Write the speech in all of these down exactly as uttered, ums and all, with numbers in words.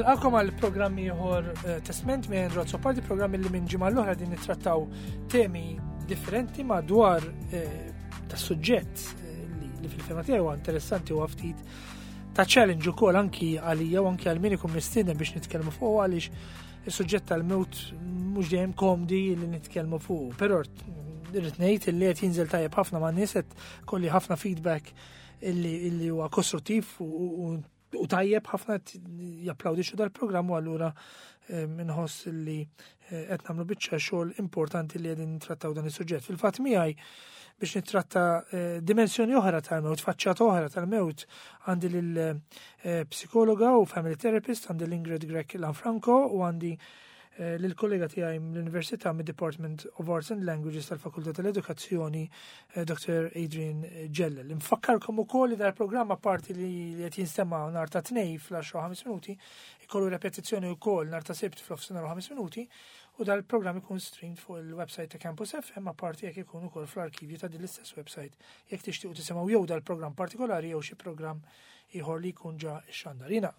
Nilqakom għal programm ieħor eh, Testment minn Andrew Azzopardi, programm li minn ġimgħa l-oħra din nittrattaw temi differenti madwar eh, ta' suġġett eh, li, li fil-fehma tiegħi huwa interessanti u ftit ta' challenge ukoll anki għalija u anki għal min ikun mistieden biex nitkellmu fuq, għaliex is-suġġett tal-mewt mhux dejjem komdi li nitkellmu fuq. Però irrid ngħid li qed jinżel tajjeb ħafna ma' nies, qed kolli ħafna feedback illi illi huwa kostruttiv u, u, u tajjeb ħafna, japplawdixxu dal-programm, u allura eh, minħoss li eh, qed nagħmlu biċċa xogħol importanti li qegħdin nittrattaw dan is-suġġett. Fil-fatt miegħi biex nittratta eh, dimensjoni oħra tal-mewt, faċċata oħra tal-mewt, għandi lil psikologa u family therapist, għandi l-Ingrid Grech Lanfranco, u għandi lill-kollega tiegħi mill-Università, mid-Department of Arts and Languages tal-Fakultà tal-Edukazzjoni, Doctor Adrian Ġellel. Nfakkarkom ukoll li dal-programm, parti li qed jinstema' nhar ta' Tnejn fl-għaxra ħames minuti, ikollu repetizzjoni wkoll nhar ta' Sibt fl-nofsinhar u ħames minuti, u dal-programm ikun streamed fuq il-website ta' Campus F M, apparti jekk ikun ukoll fl-arkivju ta' din l-istess website jekk tixtiequ tisimgħu jew dal-programm partikolari jew xi programm ieħor li jkun ġa xandar. Jiena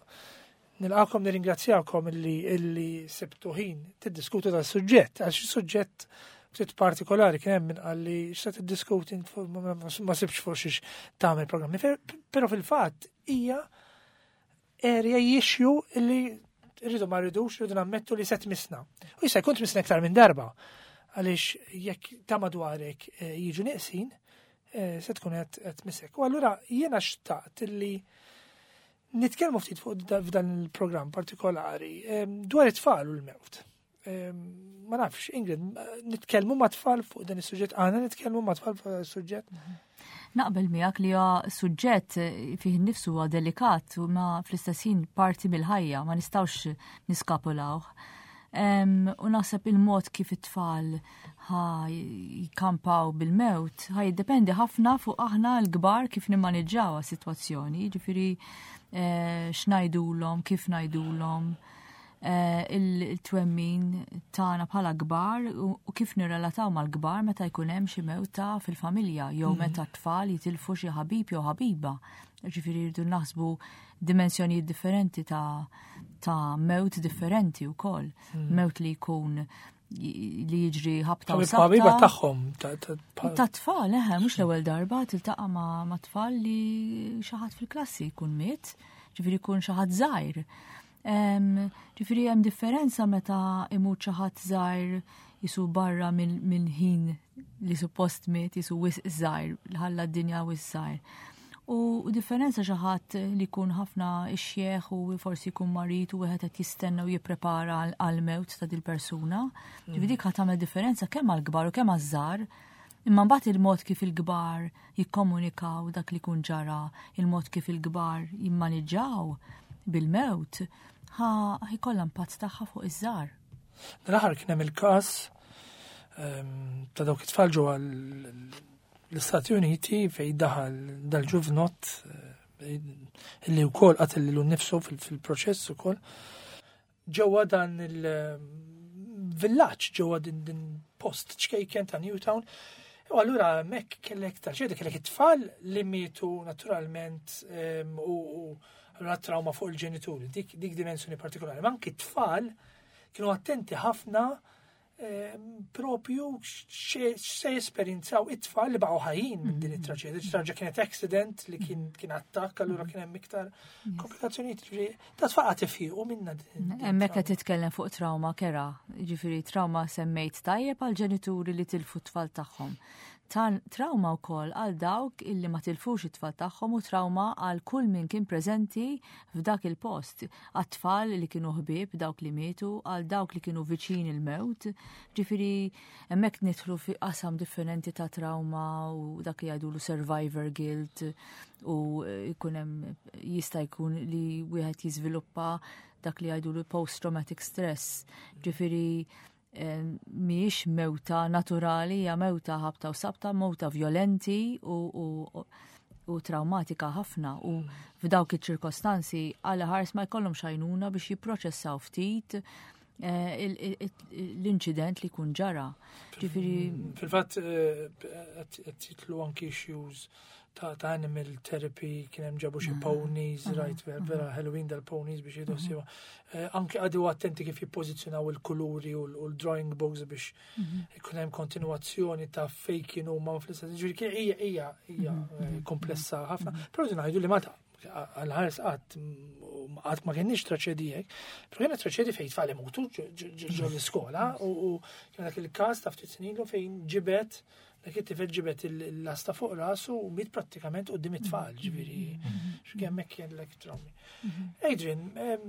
nilqakom, nirringrazzjakom illi illi sibtu ħin tiddiskutu dal-suġġett, għax suġġett ftit partikolari. Kien hemm min qalli: "X'se tiddiskuti? Ma sibx fuq xiex tagħmel programmi." Però fil-fatt hija area issue illi rridu ma rridux, rridu nammettu li se tmissna. U jista' jkun tmissna iktar minn darba, għaliex jekk ta' madwarek eh, jiġu neqsin, eh, se tkun qed tmissek. U allura jiena xtaqt illi nitkellmu ftit fuq f'dan il-programm partikolari dwar it-tfal u l-mewt. Ma nafx, Ingrid, nitkellmu ma' tfal fuq dan is-suġġett, għandna nitkellmu ma' tfal fuq dan is-suġġett? Naqbel miegħek li huwa suġġett fih innifsu huwa delikat u ma fl-istess ħin parti mill-ħajja, ma nistgħux niskapulawh. U naħseb il-mod kif it-tfal ħa jikampaw bil-mewt ħa jiddependi ħafna fuq aħna l-kbar kif nimmaniġġaw sitwazzjoni, ġifieri eh, x'ngħidulhom, kif ngħidulhom, eh, il-twemmin tagħna bħala kbar u kif nirrelataw mal-kbar meta jkun hemm xi mewta fil-familja jew mhm. meta t-tfal jitilfu xi ħabib jew ħabiba. Ġifieri rridu naħsbu dimensjonijiet differenti ta' ta' mewt differenti wkoll. Mm. Mewt li jkun li jiġri ħabta u ħabiba tagħhom. Ta' tfal, eħe, mhux l-ewwel darba tiltaqa' ma' ma' tfal li xi ħadd fil-klassi jkun miet, ġifieri jkun xi ħadd żgħir. Ġifieri hemm differenza meta imut xi ħadd żgħir jisu barra minn ħin li suppost miet, jisu wisq żgħir, ħalla d-dinja wisq żgħir. U differenza xi ħadd li jkun ħafna ixjeħ u forsi jkun marid u wieħed qed jistenna u jipprepara għal-mewt ta' dil-persuna. Ġifieri dik ħa tagħmel differenza kemm għall-kbar u kemm għaż-żgħar. Imma mbagħad il-mod kif il-kbar jikkomunikaw dak li jkun ġara, il-mod kif il-kbar jimmaniġġaw bil-mewt, ħa jkollha impatt tagħha fuq iż-żgħar. Dal-aħħar kien hemm il-każ ehm, ta' dawk it-tfal ġewwa l-Istati Uniti fej daħal dal-ġuvnott eh, illi wkoll qatel lilu nnifsu fil-proċess ukoll ġewwa dan il-villaġġ, ġewwa din din post ċkejken ta' Newtown. U allura hemmhekk kellek traġedja, kellek it-tfal li mietu naturalment u allura trauma fuq il-ġenituri, dik, dik dimensjoni partikolari. Ma anki t-tfal kienu attenti ħafna propju se jesperjenzaw it-tfal li baqgħu ħajjin minn din it-traġedja. Traġedja kienet accident li kien kien attakk, allura kien hemm iktar komplikazzjonijiet. Ġifieri ta' tfal qed ifiequ minna. Hemmhekk qed titkellem fuq trauma kerha, ġifieri trauma semmejt tajjeb għal ġenituri li tilfu t-tfal tagħhom. Trauma wkoll għal dawk illi ma tilfux it-tfal tagħhom u trauma għal kull min kien preżenti f'dak il-post. Għat-tfal li kienu ħbieb dawk li mietu, għal dawk li kienu viċin il-mewt. Ġifieri hemmhekk nidħlu fi qasam differenti ta' trauma u dak li jgħidulu survivor guilt u jkun hemm, jista' jkun li wieħed jiżviluppa dak li jgħidulu post-traumatic stress. Ġifieri mhijiex mewta naturali, hija mewta ħabta u sabta, mewta violenti u, u, u traumatika ħafna, u f'dawk iċ-ċirkostanzi għal ħars ma jkollhom xajnuna biex jipproċessaw ftit eh, l-inċident li kun ġara. Ġifieri Fil-fatt qed jitlu anki issues ta' ta' animal therapy, kien hemm ġabu xi ponies, right, vera Halloween dal-ponies biex jieħdu ħsiebha. Eh, Anke qagħdu attenti kif jippożizzjonaw il-kuluri u l-drawing books biex ikun hemm kontinuazzjoni ta' fejn kienu ma fl-istess. Ġifieri kien hija hija hija eh, komplessa ħafna. Però rridu ngħidu li Malta għal-ħares qatt qatt ma kienx traċedijek, però kienet traċedji fejn tfal imutu ġo l-iskola u u kien dak il-każ ta' ftit snin ilu fejn ġibet dak it-tifel ġibet il-lasta fuq rasu u miet prattikament quddiem it-tfal, ġifieri x'kemm hekk kien l trawmi. Adrian, em,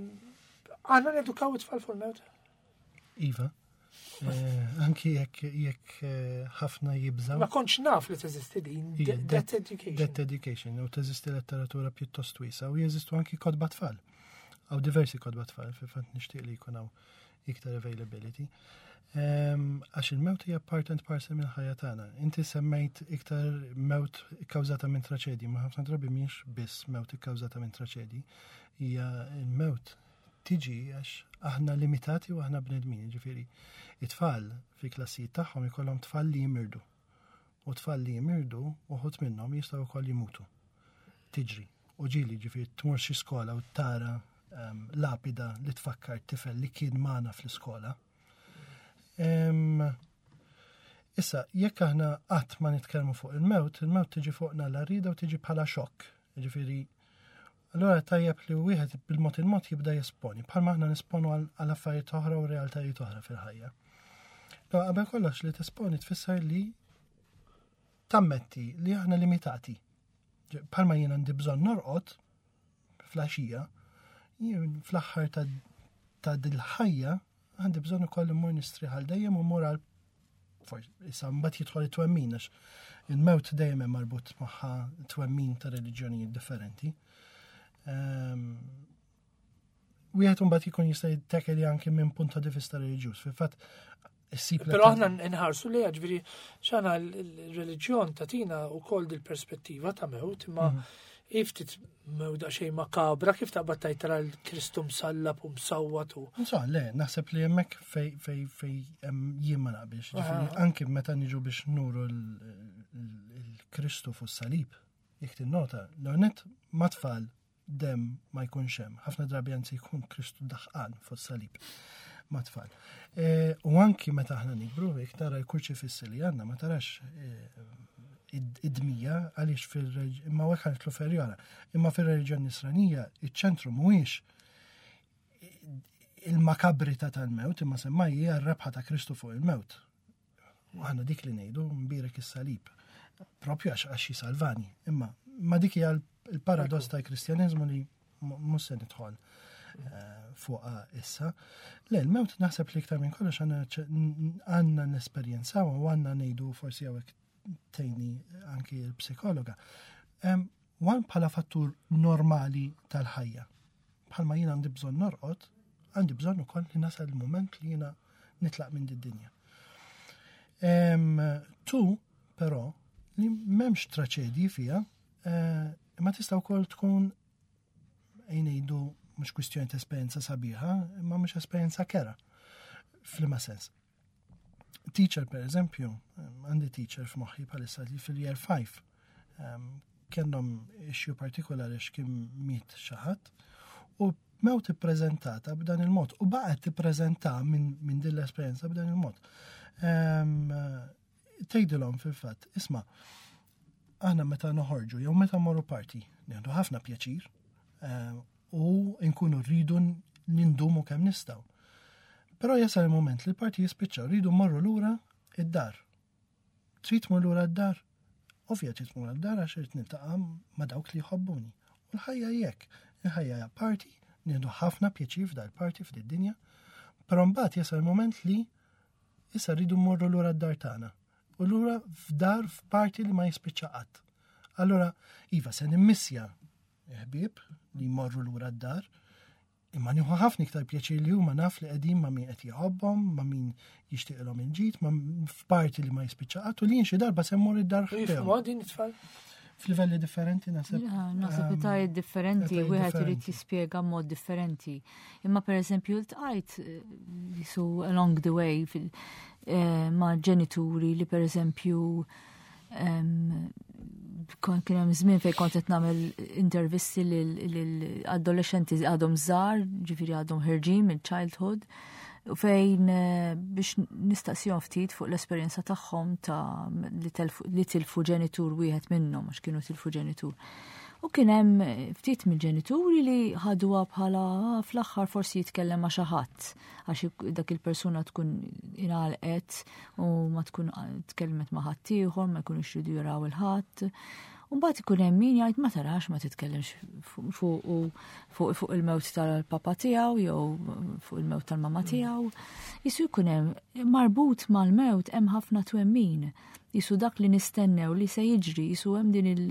għandna nedukaw it-tfal fuq il-mewt? Iva. Eh, Anki jekk jekk eh, ħafna jibżaw. Ma kontx naf li teżisti din, Ija, death education. Death education, u teżisti letteratura pjuttost wiesa u jeżistu anki kotba tfal. Hawn diversi kotba tfal, fil-fatt nixtieq li jkun hawn iktar availability. Em, Għax il-mewt hija part and parcel minn ħajja tagħna. Inti semmejt iktar mewt ikkawżata minn traċedji, ma ħafna drabi mhix biss mewt ikkawżata minn traċedji. Hija il-mewt tiġi għax aħna limitati u aħna bnedmin, ġifieri. It-tfal fi klassijiet tagħhom ikollhom tfal li jimirdu. U tfal li jimirdu uħud minnhom jistgħu wkoll jimutu. Tiġri. U ġieli ġifieri tmur xi skola u tara um, lapida li tfakkar tifel li kien magħna fl-iskola. Em, Issa, jekk aħna qatt ma nitkellmu fuq il-mewt, il-mewt tiġi fuqna l-rida u tiġi bħala xokk. Ġifieri, allura tajjeb li wieħed bil-mod il-mod jibda jesponi, bħalma aħna nisponu għal għal affarijiet oħra u realtajiet oħra fil-ħajja. No, qabel kollox li tesponi tfisser li tammetti li aħna limitati. Ġe- Bħalma jien għandi bżonn norqod fl-għaxija, jien fl-aħħar ta' ta' dil-ħajja għandi bżonn ukoll immur nistrieħ għal dejjem u mmur għal forsi issa mbagħad jidħol it-twemmin għax il-mewt dejjem hemm marbut magħha twemmin ta' reliġjonijiet differenti. Ehm, Wieħed mbagħad jkun jista' jittekeli anke minn punt ta' vista reliġjuż. Fil-fatt issib Però aħna nħarsu li ġifieri xana l-reliġjon tagħtina wkoll dil-perspettiva ta' mewt, imma iftit mewt xejn makabra kif taqbad tajt tara l-Kristu msallab u msawwat u. Insomma, le, naħseb li hemmhekk fej fej fej hemm jien ma naqbilx. Ġifieri Aha. anke meta niġu biex nuru l-Kristu fuq salib, jekk tinnota, l-għonet ma tfal dem ma jkunx hemm. Ħafna drabi anzi jkun Kristu daħqan fuq salib ma tfal. E, U anki meta aħna nikbru, jekk tara l-kurċifissi li għandna, ma tarax e, id- id-dmija għaliex fil imma hekk ħanitlu ferjora. Imma fil-reliġjon nisranija iċ-ċentru mhuwiex il-makabrità tal-mewt, imma semmaj hija r-rebħa ta' Kristu fuq il-mewt. U aħna dik li ngħidu mbierek is-salib. Propju għax għax jisalvani. Imma ma dik hija l-paradoss tal-Kristjaniżmu li mhux se nidħol eh, fuqha issa. Le, l-mewt naħseb li iktar minn kollox għandna ċ- għandna nesperjenzaw u għandna ngħidu forsi hawnhekk tgħinni anki l-psikologa. Em, Wan bħala fattur normali tal-ħajja. Bħalma jien għandi bżonn norqod, għandi bżonn ukoll li nasal il-moment li jiena nitlaq minn did-dinja. Em, Tu, però, li m'hemmx traċedji fija, eh, imma tista' wkoll tkun ngħidu mhux kwistjoni ta' esperjenza sabiħa, imma mhux esperjenza kerha. F'liema sens. Teacher, per eżempju, għandi teacher f'moħħi bħalissa li fil-year five, um, kellhom issue partikolari x'kien miet xi ħadd u mewt ippreżentata b'dan il-mod u baqgħet tippreżenta minn min din l-esperjenza b'dan il-mod. Um, Tgħidilhom fil-fatt, isma' aħna meta noħorġu jew meta morru party, nieħdu ħafna pjaċir eh, u nkunu rridu nindumu kemm nistgħu. Però jasal il-moment li l-party jispiċċa, rridu mmorru lura id-dar. Trid tmur lura d-dar? Ovvja trid tmur d-dar għax irid niltaqa' ma' dawk li jħobbuni. U l-ħajja jekk, il-ħajja hija party, nieħdu ħafna pjaċir f'dal-party f'did-dinja, però mbagħad jasal il-moment li issa rridu mmorru lura d-dar tagħna. U lura f'dar f'party li ma jispiċċa qatt. Allora, iva, se nimmissja ħbieb li jmorru lura d-dar, imma nieħu ħafna iktar pjaċir li huma naf li qegħdin ma' min qed jħobbhom, ma' min jixtieqilhom il-ġid, ma' f'party li ma jispiċċa qatt u li jien xi darba se mmur id-dar U ħdejhom. jifhmu din it-tfal? F'livelli differenti naħseb. Ja, Naħseb ehm, etajiet differenti, etajiet wieħed irid differenti. jispjega mod differenti. Imma per eżempju ltqajt eh, jisu along the way fil, eh, ma' ġenituri li per eżempju em, Kien hemm żmien fejn kont qed nagħmel intervisti lil adolescenti għadhom żgħar, ġifieri għadhom ħerġin mill-childhood, u fejn eh, biex nistaqsihom ftit fuq l-esperjenza tagħhom ta' li telfu- li tilfu ġenitur wieħed minnhom, għax kienu tilfu ġenitur. U kien hemm ftit mill-ġenituri li ħaduha bħala "Ah, fl-aħħar forsi jitkellem ma' xi ħadd, għax dak il-persuna tkun ingħalqet u ma tkun tkellmet ma' ħaddieħor, ma jkunux jridu jaraw il-ħadd. U mbagħad ikun hemm min jgħid, "Ma tarax ma titkellimx fuq fuq fuq fuq il-mewt tal-papa tiegħu jew fuq il-mewt tal-mama tiegħu." Jisu jkun hemm marbut mal-mewt hemm ħafna twemmin. Jisu dak li nistennew li se jiġri, jisu hemm din il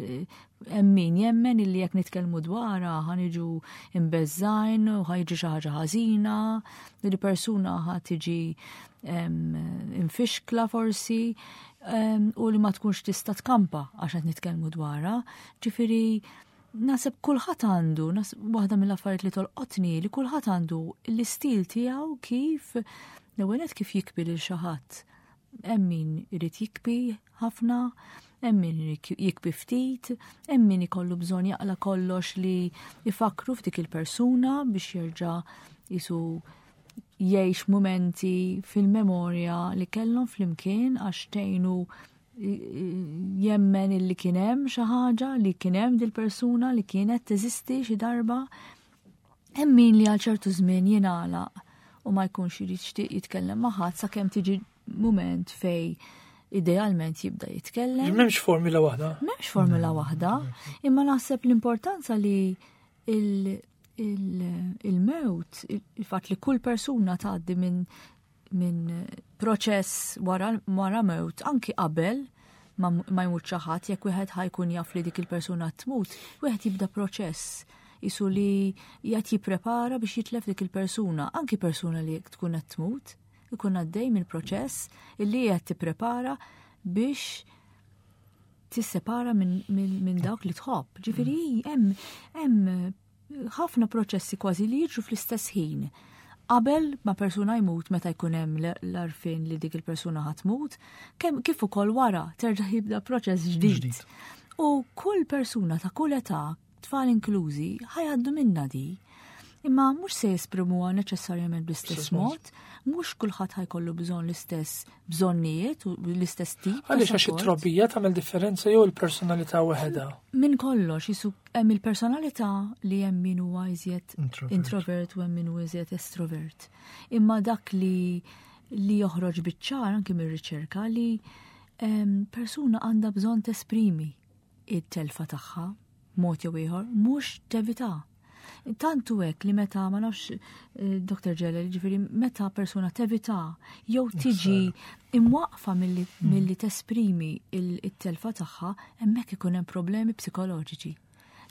hemm min jemmen illi jekk nitkellmu dwarha ħa niġu imbeżżgħin u ħa jiġi xi ħaġa ħażina, li persuna ħa tiġi em, infixkla forsi em, u li ma tkunx tista' tkampa għax qed nitkellmu dwarha. Ġifieri naħseb kulħadd għandu, naħseb waħda mill-affarijiet li tolqotni li kulħadd għandu l-istil tiegħu kif l-ewwel nett kif jikbi lil xi ħadd. Hemm min irid jikbi ħafna, hemm min irid jikbi ftit, hemm min ikollu bżonn jaqla kollox li jfakru f'dik il-persuna biex jerġa' jisu jgħix momenti fil-memorja li kellhom flimkien, għax tgħinu jemmen illi kien hemm xi ħaġa, li kien hemm dil-persuna li kienet teżisti xi darba. Hemm min li għal ċertu żmien jingħalaq u ma jkunx irid jixtieq jitkellem ma' ħadd sakemm tiġi mument fej idealment jibda jitkellem. M'hemmx formula waħda. M'hemmx formula waħda, imma naħseb l-importanza li il- il- il-mewt, il-fatt li kull persuna tgħaddi minn min proċess wara, wara mewt, anki qabel ma, ma jmut xi ħadd, jekk wieħed ħa jkun jaf li dik il-persuna tmut, wieħed jibda proċess isu li jgħat jipprepara biex jitlef dik il-persuna, anki persuna li tkun qed tmut, ikun għaddej minn proċess illi qed tipprepara biex tissepara minn min, min dawk li tħobb. Ġifieri hemm hemm ħafna proċessi kważi li jiġru fl-istess ħin. Qabel ma persuna jmut, meta jkun hemm l-għarfien li dik il-persuna ħa tmut, kemm kif ukoll wara terġa' jibda proċess ġdid. Ġdid. U kull persuna ta' kull età, tfal inklużi, ħa jgħaddu minnha di. Imma mhux se jesprimuha neċessarjament bl-istess Bl-istess mod. mod, mhux kulħadd ħa jkollu bżonn l-istess bżonnijiet u l-istess tip ta' Għaliex, għax support. it-trobbija tagħmel differenza jew il-personalità waħedha? Min kollox, jisu hemm il-personalità li hemm min huwa iżjed Introvert. introvert u hemm min huwa iżjed estrovert. Imma dak li li joħroġ biċ-ċar anki mir-riċerka li em, persuna għandha bżonn tesprimi it-telfa tagħha mod jew ieħor, mhux tevita. Tantu hekk li meta, ma nafx, eh, Doktor Ġelel, ġifieri meta persuna tevita jew tiġi imwaqfa milli milli tesprimi il- it-telfa tagħha, hemmhekk ikun hemm problemi psikoloġiċi.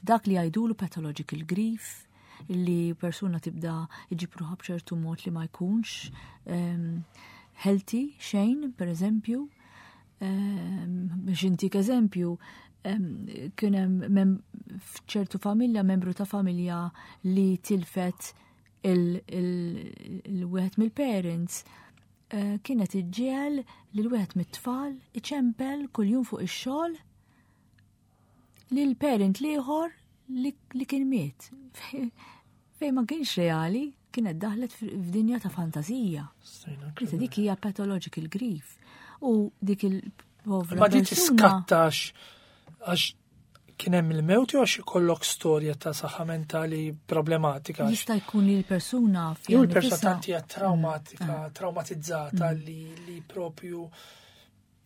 Dak li jgħidulu pathological grief, li persuna tibda iġib ruħha b'ċertu mod li ma jkunx em, healthy xejn, per eżempju. Em, biex intik eżempju, em, kien hemm mem- f'ċertu familja, membru ta' familja li tilfet il-wieħed mill-parents, eh, kienet iġġiegħel lil wieħed mit-tfal iċempel kuljum fuq ix-xogħol lil parent l-ieħor li, li kien miet. Fej ma kienx reali, kienet daħlet f'dinja ta' fantazija. Issa dik hija pathological grief. U dik il-povra Ma di persuna. tiskattax għax kien hemm il-mewt jew għax ikollok storja ta' saħħa mentali problematika? Għax Jista' jkun li l-persuna fiha Jew il-persuna nifisha- tanti hija traumatika, traumatizzata li, li propju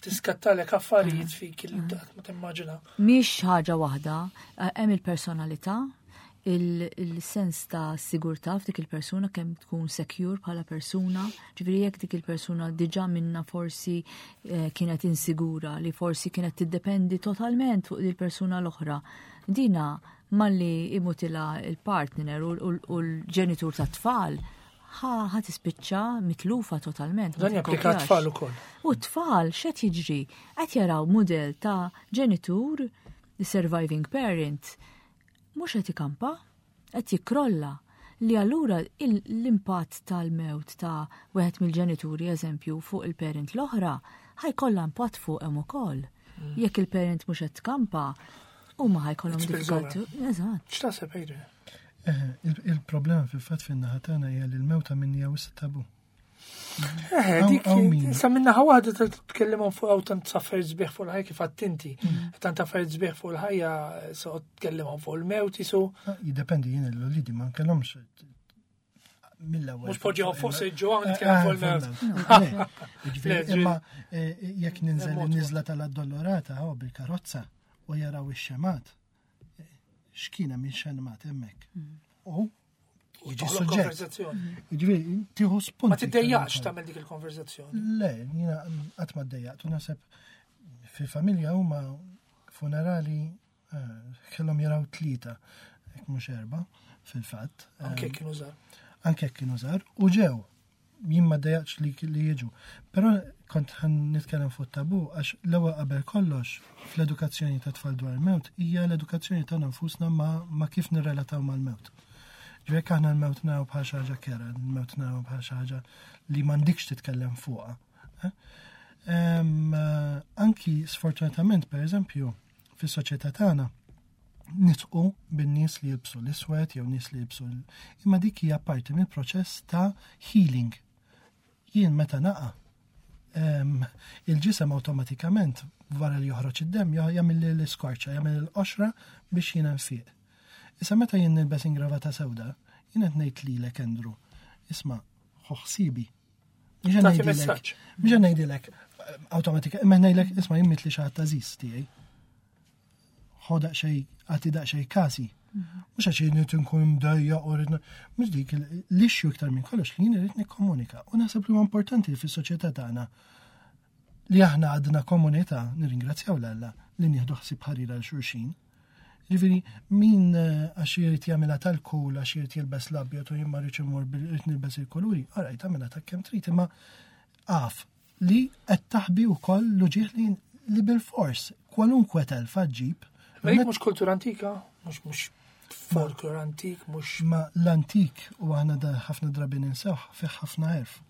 tiskattalek affarijiet fik li qatt ma timmaġina. Mhix ħaġa waħda, eh, hemm il-personalità, il- il-sens ta' sigurtà f'dik il-persuna, kemm tkun secure bħala persuna, ġifieri jekk dik il-persuna diġà minna forsi eh, kienet insigura, li forsi kienet tiddependi totalment fuq il-persuna l-oħra. Dina malli imutilha il-partner u u- u l-ġenitur ta' tfal, ħa ħa tispiċċa mitlufa totalment, ma Dan japplika tikkopjax. tfal ukoll. U t-tfal x'qed jiġri? Qed jaraw model ta' ġenitur, the surviving parent, mhux qed ikampa, qed jikkrolla, li allura il- l-impatt tal-mewt ta' wieħed mill-ġenituri, eżempju, fuq il-parent l-oħra, ħa jkollha impatt fuq hemm ukoll. Jekk il-parent mhux qed tkampa, huma ħa jkollhom It spills over. difficulty. Eżatt. X'taħseb, Adrian? Eh, il- Il-problema fil-fatt fin-naħa tagħna hija li l-mewta minni wisq tabu. Eh, Hawn- dik, hawn min. sa minna waħda tkellimhom fuq hawn tant affarijiet sbieħ fuq il-ħajja kif għattinti. Tant affarijiet sbieħ fuq il-ħajja, so tkellimhom fuq il-mewt jisu. Ah, jiddependi, jien l-uliedi ma nkellhomx mill-ewwel. Mhux poġġihom fuq siġġu hawn Eh, nitkellem fuq eh, il-mewt. Le, jiġifieri, Le, ġi- Imma eh, jekk ninżel Mod in-niżla tal-Addolorata oh, bil-karozza u jaraw ix-xemgħat, eh, x'kien hemm ix-xemgħat hemmhekk. U jiġi Toħloq suġġett. konverzazzjoni. Jiġifieri tieħu spunti. Ma tiddejjaqx tagħmel dik il-konverzazzjoni. Le, jiena qatt ma ddejjaqt u naħseb fil-familja huma funerali eh, kellhom jaraw tlieta, jekk mhux erba' fil-fatt. Anke kienu żgħar. Anke jekk kienu żgħar u ġew. Jien ma ddejjaqx li, li jiġu. Però kont ħa nitkellem fuq tabu għax l-ewwel qabel kollox fl-edukazzjoni ta' tfal dwar il-mewt hija l-edukazzjoni tagħna nfusna ma, ma kif nirrelataw mal-mewt. Ġifieri jekk aħna l-mewt naraw bħal xi ħaġa kerha, l-mewt naraw bħal xi ħaġa li m'għandikx titkellem fuqha. Eh? Em, eh, anki sfortunatament, per eżempju, fis-soċjetà tagħna nidħku bin-nies li jilbsu l-iswed jew nies li jilbsu l- imma dik hija parti mill-proċess ta' healing. Jien meta naqa' em, il-ġisem awtomatikament wara li joħroġ id-dem ja- jagħmel li l-iskorċa, jagħmel il-qoxra biex jiena nfiq. Issa meta jien nilbes ingravata sewda, jien qed ngħid lilek, Andrew, isma' ħu ħsiebi. Mhux qed Tagħti ngħidilek- messaġġ. Mhux qed ngħidilek awtomatika, imma ngħidlek, isma' jien mietli xi ħadd għażiż tiegħi. Ħu daqsxejn, agħti daqsxejn kasi. Mhux għax jien irid nkun mdejjaq u rrid mhux dik il- l-issue iktar minn kollox li jien irid nikkomunika. U naħseb li huwa importanti li fis-soċjetà tagħna li aħna għadna komunità, nirringrazzjaw 'l Alla li nieħdu ħsieb ħarira lil xulxin. Ġifieri, min eh, għax irid jagħmilha tal-cool, għax irid jilbes l-abjad u jien ma rridx imur bil irid nilbes il-kuluri, alright, tagħmilha ta' kemm trid, imma af li qed taħbi wkoll l-uġieħ li li bil-fors kwalunkwe telfa ġġib. Ma dik mhux kultura antika, mhux mhux folklor antik, mhux Ma l-antik u aħna da ħafna drabi ninsewh fih ħafna għerf.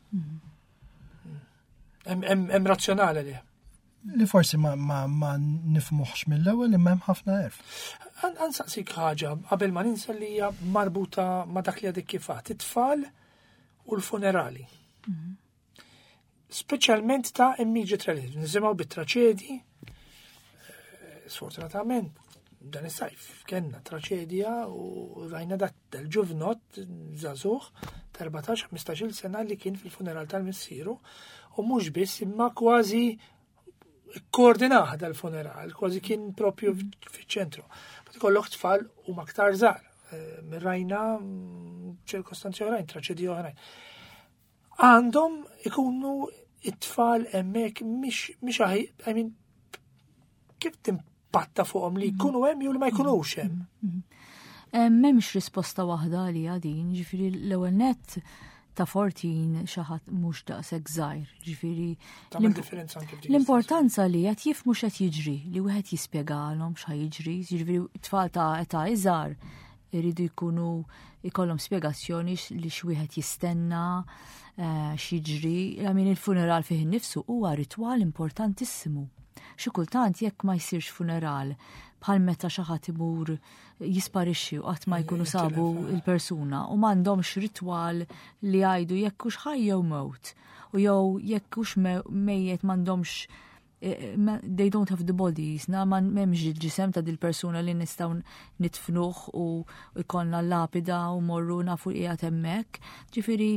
hemm hemm hemm razzjonali li. Li forsi ma, ma, ma nifhmuhx mill-ewwel imma hemm ħafna għerf. Ħa nsaqsik ħaġa qabel ma ninsa li hija marbuta ma dak li għadek kif għedt, it-tfal u l-funerali. Speċjalment ta' immediate relatives, nisimgħu bit-traċedji, eh, sfortunatament dan is-sajf kellna traċedja u rajna dak del-ġuvnot żagħżugħ ta' erbatax ħmistax-il sena li kien fil-funeral tal-missieru u mhux biss imma kważi koordinah dal-funeral, kważi kien propju fiċ-ċentru. Ma tkollok tfal u aktar żgħar. Eh, Rajna mm, ċirkostanzi oħrajn, traċedji oħrajn. Għandhom ikunu it-tfal hemmhekk mhix mhix aħi, I mean, kif timpatta fuqhom li jkunu hemm jew li ma jkunux hemm? Eh, M'hemmx risposta waħda li għadin, ġifieri l-ewwel net ta' erbatax xi ħadd mhux daqshekk żgħir, ġifieri Tagħmel l-imp- differenza anke f'dik L-importanza li qed jifhmu x'qed jiġri, li wieħed jispjegalhom x'ħa jiġri, jiġifieri tfal ta' età iżgħar iridu jkunu ikollhom spjegazzjoni x- li x'wieħed jistenna, eh, x'jiġri. I mean il-funeral fih innifsu huwa ritwal importantissimu. Xi kultant jekk ma jsirx funeral bħal meta xi ħadd imur jisparixxi u qatt ma jkunu sabu il-persuna u m'għandhomx ritwal li jgħidu jekk hux ħaj jew mewt u jew jekk hux me- mejjet m'għandhomx eh, ma- they don't have the bodies, na ma m'hemmx il-ġisem ta' dil-persuna li nistgħu nitfnuh u jkollna l-lapida u morru nafu li qiegħed hemmhekk. Ġifieri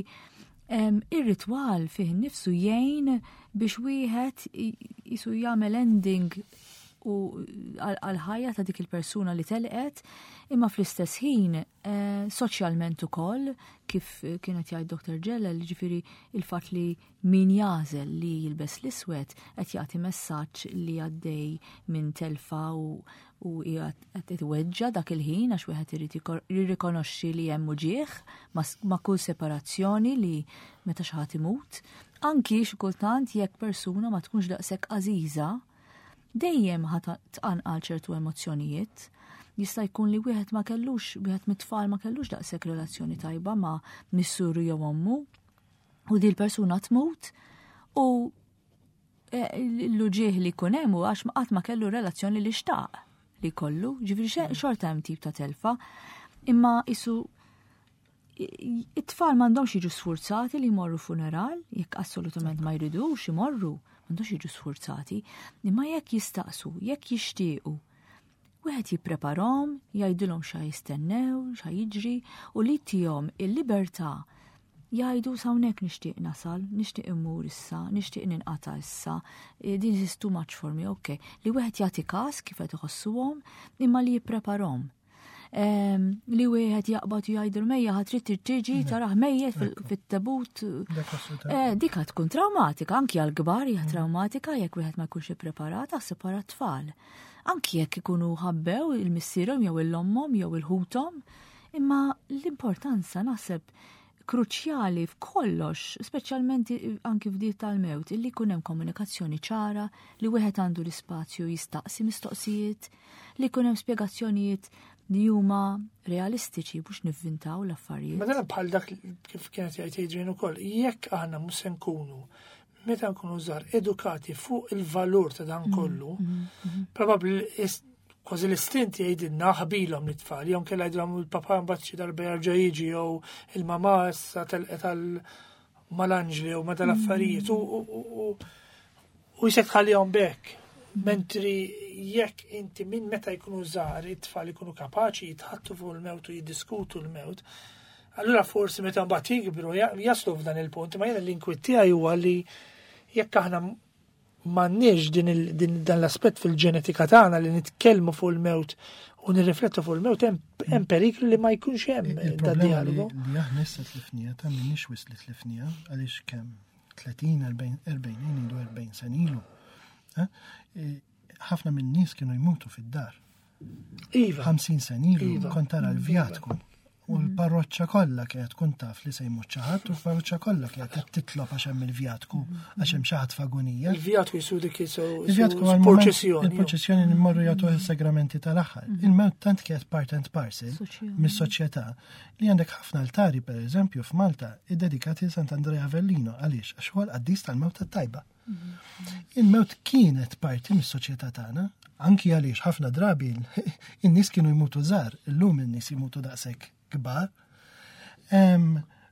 em, ir-ritwal fih innifsu jgħin biex wieħed i- jisu jagħmel ending u għal-ħajja ta' dik il-persuna li telqet, imma fl-istess ħin eh, soċjalment ukoll, kif kienet jgħid Doktor Ġellel, ġifieri il-fatt li min jagħżel li jilbes l-iswed qed jagħti messaġġ li għaddej minn telfa u u qed itweġġa dak il-ħin għax wieħed irid jikor- jirrikonoxxi li hemm uġieħ ma s- ma' kull separazzjoni li meta xi ħadd imut. Anki xi kultant jekk persuna ma tkunx daqshekk għażiża, dejjem ħa tqanqal ċertu emozzjonijiet. Jista' jkun li wieħed ma kellux, wieħed mit-tfal ma kellux daqshekk relazzjoni tajba ma' missuru jew ommu, u di l-persuna tmut u L-uġigħ li jkun hemm għax qatt ma kellu relazzjoni li xtaq li kollu, ġifieri xorta hemm tip ta' telfa, imma isu it-tfal m'għandhomx jiġu sfurzati li jmorru funeral, jekk assolutament ma jridux imorru, m'għandhomx jiġu sfurzati, imma jekk jistaqsu, jekk jixtiequ, wieħed jippreparahom, jgħidilhom xa jistennew, xa jiġri, u li tihom il-libertà jgħidu s'hawnhekk nixtieq nasal, nixtieq immur issa, nixtieq ninqata' issa, this is too much for me, ok. Li wieħed jagħti każ kif qed iħossuhom, imma li jippreparahom. Li wieħed jaqbad u jgħidu mejja ħa trid tiġi tarah mejjet fit-tabut. Dik tkun traumatika, anki għal-kbar hija traumatika jekk wieħed ma jkunx ippreparat aħseb wara t-tfal. Anki jekk ikunu ħabbew il-missierhom jew il-ommhom jew il-ħuthom, imma l-importanza naħseb kruċjali f'kollox, speċjalment anki f'dik tal-mewt, illi jkun hemm komunikazzjoni ċara, li wieħed għandu l-ispazju jistaqsi mistoqsijiet, li jkun hemm spjegazzjonijiet li huma realistiċi biex nivvintaw l-affarijiet. Ma dan bħal dak kif kienet jgħid Adrian ukoll, jekk aħna mhux se nkunu meta nkunu żgħar edukati fuq il-valur ta' dan kollu, probabbli kważi l-istint jgħidilna ħbilhom l-tfal, jew kella jgħidilhom il-papa mbagħad xi darba jerġa' jiġi jew il-mama issa telqet għal mal-anġli jew ma dal-affarijiet u u jisek tħallihom b'hekk. Mentri jekk inti minn meta jkunu żgħar it-tfal ikunu kapaċi jitħattu fuq il-mewt u jiddiskutu l-mewt, allura forsi meta mbagħad jikbru jaslu f'dan il-punt, ma jiena l-inkwiet tiegħi huwa li jekk aħna m'għandniex din, din dan l-aspett fil-ġenetika tagħna li nitkellmu fuq il-mewt u nirriflettu fuq il-mewt, hemm periklu li ma jkunx hemm da dialogu. Li aħna issa tlifnija, ta' minnix wisq li tlifnija, għaliex kemm tletin, erbgħin, ngħidu erbgħin sena ilu. Ħafna minn nies kienu jmutu fid-dar. Iva. ħamsin sena ilu Iva. kont tara l-vjatku. U l-parroċċa kollha kienet tkun taf li se jmut xi ħadd, u l-parroċċa kollha kienet qed titlob għax hemm il-vjatku, għax hemm xi ħadd f'agonija. Il-vjatku jisu dik jisu Il-vjatku għal proċessjoni. Il-proċessjoni li mmorru jagħtu is-sagramenti tal-aħħar. Il-mewt tant kienet part and parcel mis-soċjetà li għandek ħafna altari pereżempju f'Malta iddedikati Sant'Andrea Avellino. Għaliex? Għax huwa l-qaddis tal-mewt tat-tajba. Il-mewt kienet parti mis-soċjetà tagħna, anki għaliex ħafna drabi in-nies kienu jmutu żgħar, illum in-nies jmutu daqshekk kbar.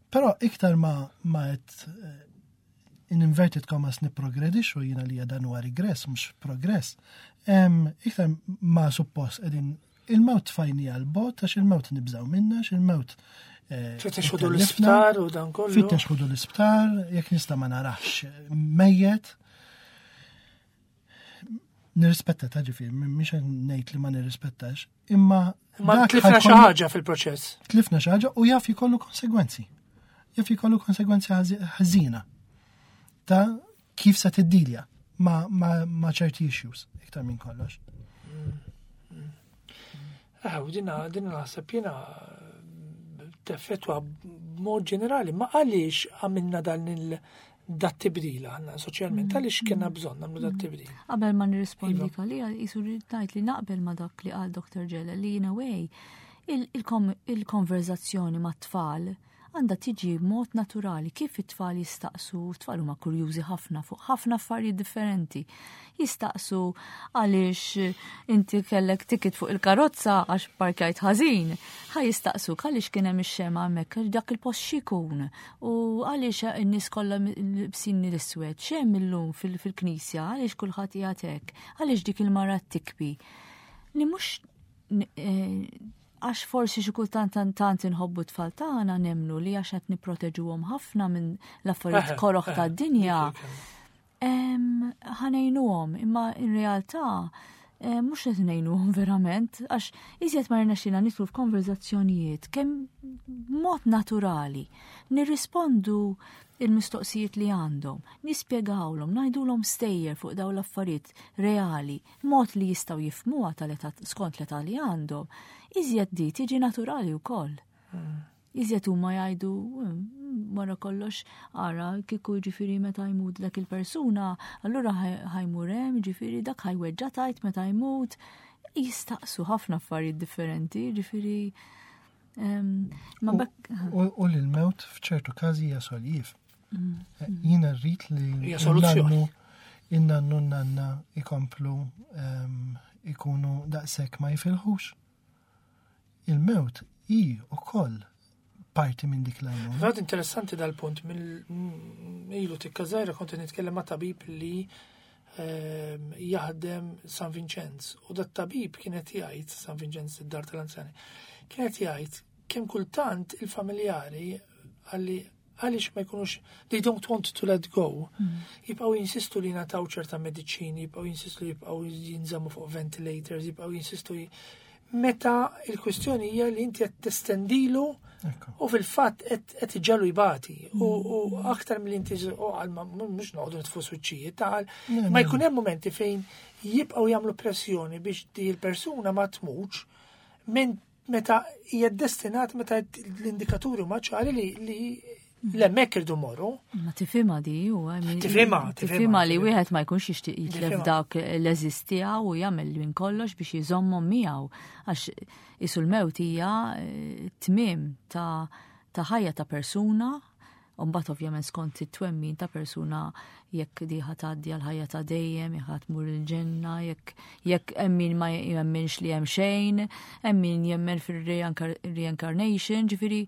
Però iktar ma ma qed in inverted commas niprogredixxu, jiena li dan huwa regress mhux progress. Iktar ma suppost qegħdin il-mewt tfajni għal bot għax il-mewt nibżgħu minna, għax il-mewt Fittex ħudu l-isptar u dan kollu. Fittex ħudu l-isptar, jekk nista' ma narax mejjet. Nirrispetta ta' ġifieri, mhix ngħid li ma nirrispettax, imma Ma tlifna xi ħaġa fil-proċess. Tlifna xi ħaġa u jaf jkollu konsegwenzi. Jaf jkollu konsegwenzi ħażina ta' kif se tiddilja ma, ma, ma ċerti issues iktar minn kollox. Ah, u dina, dina naħseb jiena teffettwa b'mod ġenerali, ma għaliex għamilna dan il dat tibdil aħna soċjalment, għaliex kena bżonn nagħmlu dat tibdil? Qabel ma nirrispondi għalija, jisu ngħid li naqbel ma dak li qal Doktor Ġele li in a way il-konverzazzjoni ma' tfal għandha tiġi b'mod naturali kif it-tfal jistaqsu, it-tfal huma kurjużi ħafna fuq ħafna affarijiet differenti. Jistaqsu għaliex inti kellek ticket fuq il-karozza għax parkjajt ħażin. Ħa jistaqsu għaliex kien hemm ix-xema hemmhekk, dak il-post x'ikun u għaliex in-nies kollha libsin l-iswed, x'hemm illum fil-knisja, għaliex kulħadd qiegħed hekk, għaliex dik il-mara tikbi. Li mhux għax forsi xi kultant tant inħobbu tfal tagħna nemmnu li għax qed nipproteġuhom ħafna minn l-affarijiet koroħ tad-dinja. Ħa ngħinuhom, imma in realtà mhux qed ngħinuhom verament, għax iżjed ma rnexxina nidħlu f'konverzazzjonijiet kemm mod naturali nirrispondu il-mistoqsijiet li għandhom, nispjegawlhom, ngħidulhom stejjer fuq dawn l-affarijiet reali, mod li jistgħu jifhmuha tal-età skont l-età li għandhom, iżjed di tiġi naturali wkoll. Iżjed huma jgħidu wara kollox ara kieku ġifieri meta jmut dak il-persuna, allura ħa jmur hemm, ġifieri dak ħa jweġġa' tajt meta jmut. Jistaqsu ħafna affarijiet differenti, ġifieri ma bekk. U l-mewt f'ċertu każi hija soljiev. Jiena rrid li Hija soluzzjoni. In-nannu nanna ikomplu em, ikunu daqshekk ma jifilħux. Il-mewt hi ukoll parti minn dik l-għajnuna. Fat interessanti dal-punt, mill ilu tikka żgħira kont nitkellem ma' tabib li ehm, jaħdem San Vincenz u dat tabib kienet jgħid San Vincenz id-dar tal-anzjani kienet jgħid kemm kultant il-familjari għalli għaliex ma jkunux they don't want to let go jibqgħu jinsistu li nataw ċerta mediċini, jibqgħu jinsistu li jibqgħu jinżammu fuq ventilators, jibqgħu jinsistu li meta il-kwistjoni hija li inti qed testendilu Ekku. u fil-fatt qed qed iġalu jbati u u aktar mill inti u għal ma mhux noqogħdu nitfu suċċijiet ta' għal Le, ma le. jkun hemm momenti fejn jibqgħu jagħmlu pressjoni biex di l-persuna ma tmutx minn meta hija destinat meta l-indikaturi huma ċari li li l-hemmhekk irdu morru. Ma tifhimha di u I mean, Tifhimha, tifhimha, tifhimha li tifhimha. wieħed ma jkunx jixtieq jitlef Tifhimha. dawk l-għeżież tiegħu u jagħmel minn kollox biex jżommhom miegħu għax isu l-mewt hija eh, tmiem ta' ta' ħajja ta' persuna u mbagħad ovvjament skont it-twemmin ta' persuna jekk di ħa tgħaddi għal ħajja ta' dejjem, jekk ħa tmur il-ġenna, jekk jekk hemm min ma jemminx li hemm xejn, hemm min jemmen fir-reincarnation, ġifieri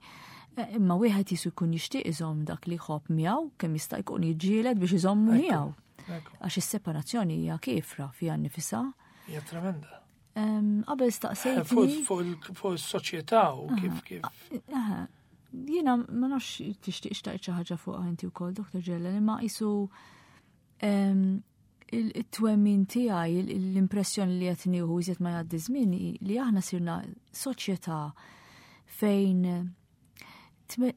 eh, imma wieħed jisu jkun jixtieq iżomm dak li jħobb miegħu kemm jista' jkun jiġġieled biex iżommu Ekku. miegħu. Ekku, Għax is-separazzjoni hija kiefra fiha nnifisha. Hija tremenda. Em, Qabel Fuq staqsejtni. fuq il- fuq is-soċjetà u kif kif. Aha, Jiena ma nafx tixtieq xtaqt xi ħaġa fuqha inti wkoll, Dr. Ġellen, imma qisu em, il- it-twemmin tiegħi, il- l-impressjoni li qed nieħu iżjed ma jgħaddi żmien hi li aħna sirna soċjetà fejn tme-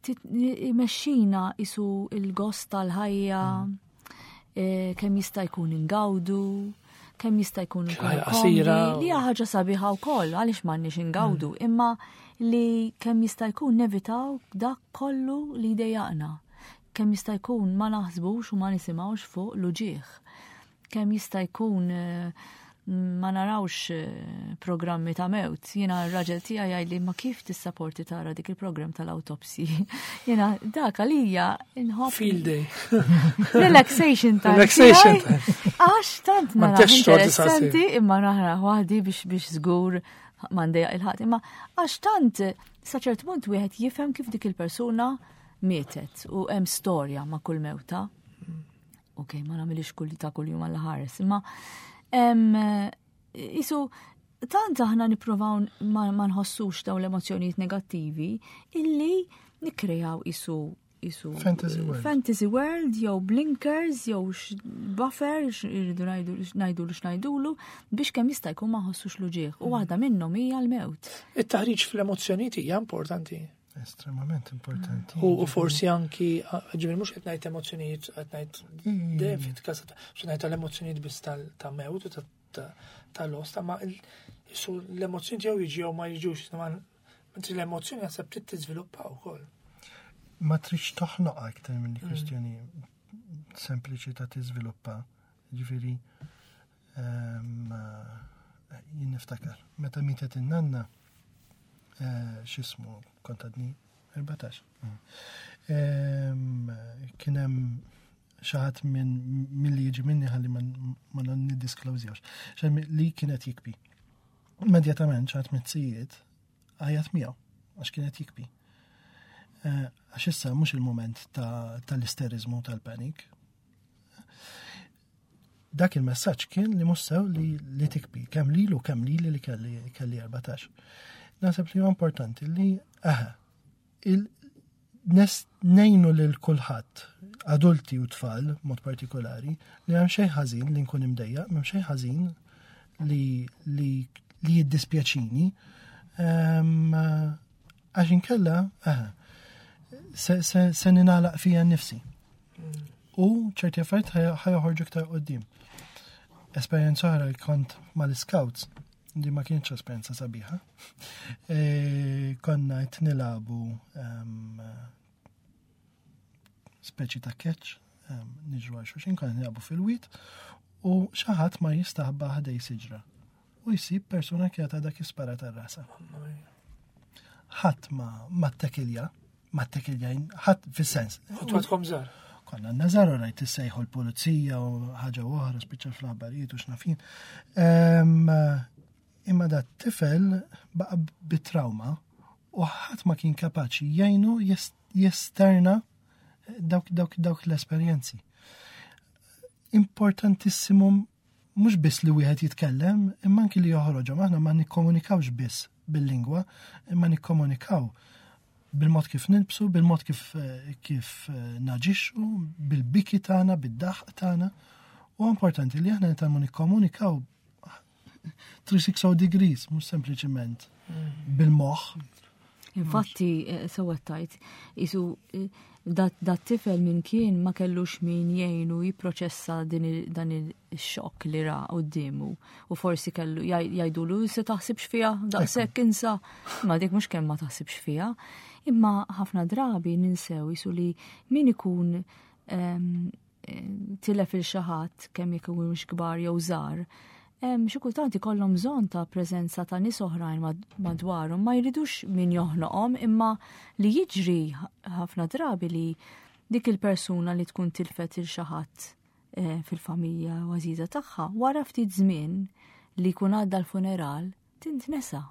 tit- imexxina isu il-gost tal-ħajja, eh, kemm jista' jkun ingawdu, kemm jista' jkun Ħajja nkunu qasira komdi, li hija ħaġa sabiħa wkoll għaliex m'għandniex ingawdu, imma li kemm jista' jkun nevitaw dak kollu li jdejjaqna. Kemm jista' jkun ma naħsbux u ma nisimgħux fuq l-uġieħ. Kemm jista' jkun eh, ma narawx eh, programmi ta' mewt. Jiena r-raġel tiegħi jgħidli ma kif tissaporti tara dik il-programm tal-autopsy. Jiena dak għalija inħobb Field day. Relaxation time. Relaxation tiegħi. Għax tant Ma nara ntexx xorti interessanti saqsi. imma nara waħdi biex biex żgur m'għandejja il-ħadd. Imma għax tant sa ċert punt wieħed jifhem kif dik il-persuna mietet u hemm storja ma' kull mewta. Ok, ma nagħmilix kull ta' kull jum għal ħares, imma em, isu tant aħna nippruvaw ma, ma nħossux dawn l-emozzjonijiet negattivi illi nikkrejaw isu isu Fantasy world. fantasy world jew blinkers jew x- buffer x- irridu ngħidu ngħidulu x'ngħidulu biex kemm jista' jkun ma nħossux l-uġieħ u waħda minnhom hija l-mewt. It-taħriġ fl-emozzjonijiet hija importanti. Estremament importanti. U u forsi anki, ġifieri mhux qed ngħid emozzjonijiet, qed ngħid Mm. dejjem fit-każ ta' xi ngħid tal-emozzjonijiet biss tal- ta' mewt u ta' ta' tal-osta, ma il- isu l-emozzjoni jew jiġi jew ma jiġux, ma mentri l-emozzjoni naħseb trid tiżviluppa wkoll. Ma tridx toħnoqha aktar minn kwistjoni sempliċi ta' tiżviluppa. Ġifieri ehm, eh, jien niftakar, meta mietet in-nanna eh, x'ismu kont għadni erbatax. Ehm, Kien hemm xi ħadd minn milli jiġi minni ħalli ma ma niddisklowżjawx. Xi li kienet jikbi. Immedjatament xi ħadd miz-zijiet għajjat miegħu għax kienet jikbi. Eh, Għax issa mhux il-moment ta- tal-isterizmu tal-panik. Dak il-messaġġ kien li mhux sew li, li tikbi, kemm lilu kemm lili li kelli kelli erbatax. Naħseb li huwa importanti li aha, il nes ngħinu lil kulħadd, adulti u tfal, mod partikolari, li hemm xejn ħażin li nkun imdejjaq, m'hemm xejn ħażin li li li jiddispjaċini. Ehm, Għax inkella, aha, se, se, se ninalaq fija nnifsi. U ċerti affarijiet ħaj- ħajoħorġu iktar qoddim. Esperjenza oħra li kont mal-scouts, li ma kienx esperjenza sabiħa. E, konna qed nilagħbu em, speċi ta' catch, em, niġru għal xulxin, konna nilagħbu fil-wit, u xi ħadd ma jistaħba ħdejn siġra. U jsib persuna kienet għadha kif sparat għal rasha. Ħadd ma ma ttekilja, ma ttekilja, ħadd fis-sens. Kontu għadkom żgħar. Konna n-Nażaru rajt issejħu l-pulizija u ħaġa oħra spiċċa fl-aħbarijiet u x'naf jien. Em, Imma da tifel baqa bit-trauma u ħadd ma kien kapaċi jgħinu jes- jesterna dawk, dawk, dawk l-esperjenzi. Importantissimu mhux biss li wieħed jitkellem, imma anki li joħroġhom. Aħna ma nikkomunikawx biss bil-lingwa, imma nikkomunikaw bil-mod kif nilbsu, bil-mod kif, eh, kif eh, naġixxu, bil-biki tagħna, bid-daħq tagħna. U importanti li aħna nitgħallmu nikkomunikaw three hundred sixty degrees, mhux sempliċiment bil-moħħ. Infatti, eh, sewwa tajt, isu eh, dat dat tifel minn kien ma kellux min jgħinu jipproċessa din il- dan il-xokk li ra quddiemu u forsi kellu jgħid- jgħidulu se taħsibx fiha daqshekk, insa. Ma dik mhux kemm ma taħsibx fiha. Imma ħafna drabi ninsew isu li min ikun em, eh, tilef lil xi ħadd, kemm jekk mhux kbar jew żgħar, em, xi kultant ikollhom bżonn ta' preżenza ta' nies oħrajn mad- madwarhom, ma jridux min joħnoqhom, imma li jiġri ħafna drabi li dik il-persuna li tkun tilfet lil xi ħadd eh, fil-familja u għażiża tagħha, wara ftit żmien li jkun għadda l-funeral, tintnesa.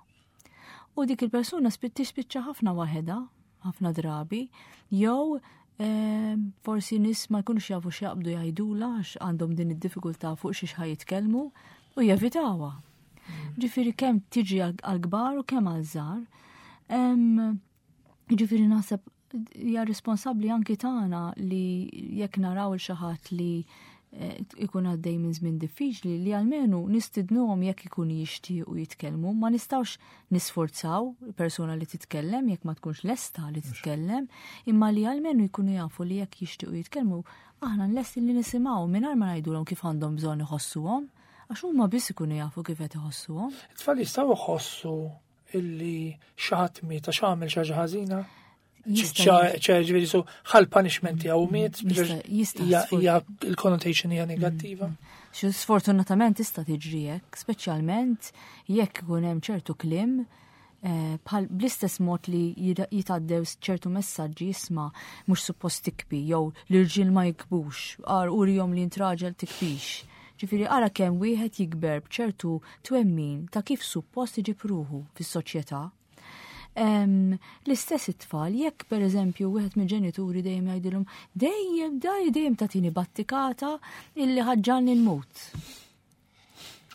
U dik il-persuna spi- tispiċċa ħafna waħedha, ħafna drabi, jew eh, forsi nies ma jkunux jafu x'jaqbdu jgħidula għax għandhom din id-diffikultà fuq xi ħa jitkellmu u jevitawha. Ġifieri kemm tiġi għal-kbar u kemm għal-żgħar. Em, Ġifieri naħseb hija responsabbli anki tagħna li jekk naraw il xi ħadd li eh, ikun għaddej minn żmien diffiċli, li almenu nistidnuhom jekk ikun jixtiequ jitkellmu. Ma nistgħux nisforzaw persuna li titkellem jekk ma tkunx lesta li titkellem, imma li almenu jkunu jafu li jekk jixtiequ jitkellmu, aħna lesti li nisimgħu mingħajr ma ngħidulhom kif għandhom bżonn iħossuhom, għax huma biss ikunu jafu kif qed iħossuhom. It-tfal jistgħu jħossu illi xi ħadd miet għax għamel xi ħaġa ħażina? Jista' ċe ġifieri su ħal punishment tiegħu miet, Jista' jista' hija sfor- hija il-connotation hija negattiva. Xi sfortunatament tista' tiġri hekk, speċjalment jekk ikun hemm ċertu kliem eh, bħal bl-istess mod li jira- jitgħaddew ċertu messaġġi, isma' mhux suppost tikbi jew l-irġiel ma jikbux, ar urihom li int raġel, tikbix. Ġifieri ara kemm wieħed jikber b'ċertu twemmin ta' kif suppost iġib ruħu fis-soċjetà. Em, L-istess it-tfal, jekk per eżempju wieħed mill-ġenituri dejjem jgħidilhom dejjem daj dejjem tagħtini battikata illi ħa ġġagħalni nmut.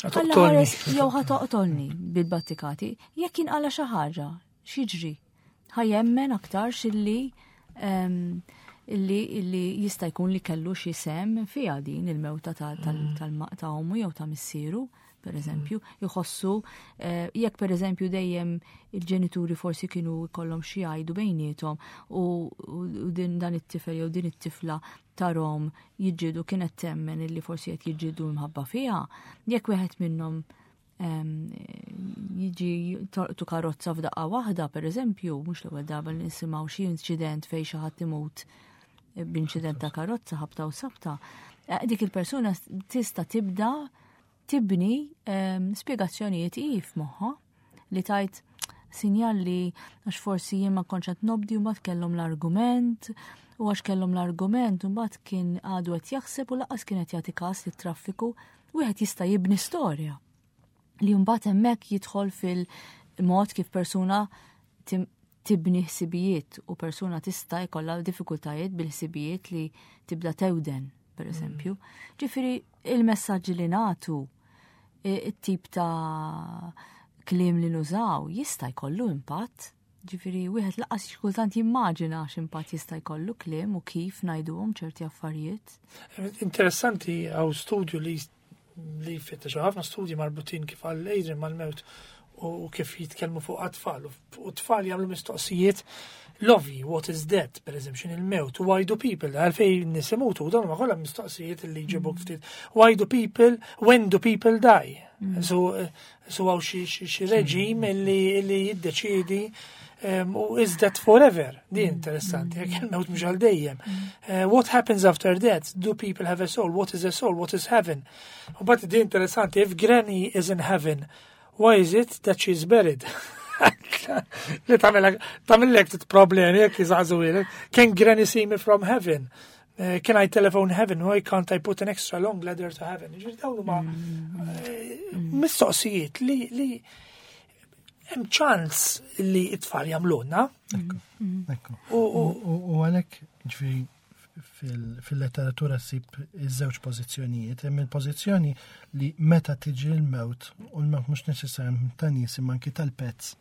Alla Toqtolni. ħares jew ħa toqtolni bil-battikati, jekk jinqala xi ħaġa, x'jiġri? Ħa jemmen aktar xilli em, illi illi jista' jkun li kellu xi sem fiha din il-mewta ta' tal- tal- ta' ommu jew ta' missieru, per eżempju, jħossu eh, jekk per eżempju dejjem il-ġenituri forsi kienu jkollhom xi jgħidu bejniethom u, u u din dan it-tifel jew din it-tifla tarahom jiġġieldu, kienet temmen illi forsi qed jiġġieldu mħabba fiha, jekk wieħed minnhom em, jiġi torqtu karozza f'daqqa waħda, per eżempju, mhux l-ewwel darba li nisimgħu xi inċident fejn xi ħadd imut b'inċident ta' karozza ħabta u sabta, eh, dik il-persuna tista' tibda tibni em, spjegazzjonijiet i f'moħħha li tajt sinjal li għax forsi jien ma kontx qed nobdi u mbagħad kellhom l-argument u għax kellhom l-argument u mbagħad kien għadu qed jaħseb u lanqas kien qed jagħti każ lit-traffiku. Wieħed jista' jibni storja li mbagħad hemmhekk jidħol fil-mod kif persuna tim- tibni ħsibijiet u persuna tista' jkollha diffikultajiet bil-ħsibijiet li tibda tewden, per eżempju. Ġifieri il-messaġġi li nagħtu, i- it-tip ta' kliem li nużaw jista' jkollu impatt. Ġifieri wieħed lanqas xi kultant jimmaġina x'impatt jista' jkollu kliem u kif ngħiduhom ċerti affarijiet. Interessanti, hawn studju li li fittex ħafna studji marbutin, kif għal Adrian, mal-mewt u kif jitkellmu fuq għat-tfal u tfal jagħmlu mistoqsijiet lovely, what is death, per eżempju, x'inhi il-mewt, why do people, għalfejn nies imutu, u dawn huma kollha mistoqsijiet li jġibuk ftit. Why do people, when do people die? So, eh, so hawn xi xi- xi reġim illi illi jiddeċidi um, u is that forever? Di interessanti, jekk il-mewt mhux għal dejjem. Uh, what happens after death? Do people have a soul? What is a soul? What is heaven? U but di interessanti, if granny is in heaven, why is it that she's buried? Li tagħmellek tagħmellek tit problemi jekk jżaqżu. Can granny see me from heaven? Eh, Can I telephone heaven? Why can't I put an extra long ladder to heaven? Ġifieri dawn huma eh, mistoqsijiet li li hemm ċans li t-tfal jagħmluna. Ekku. U U u- u għalhekk, ġifieri, fil- fil-letteratura ssib iż-żewġ pożizzjonijiet. Hemm il-pożizzjoni li meta tiġi l-mewt, u l-mewt mhux neċessarjament ta' nies imma anki tal-pets.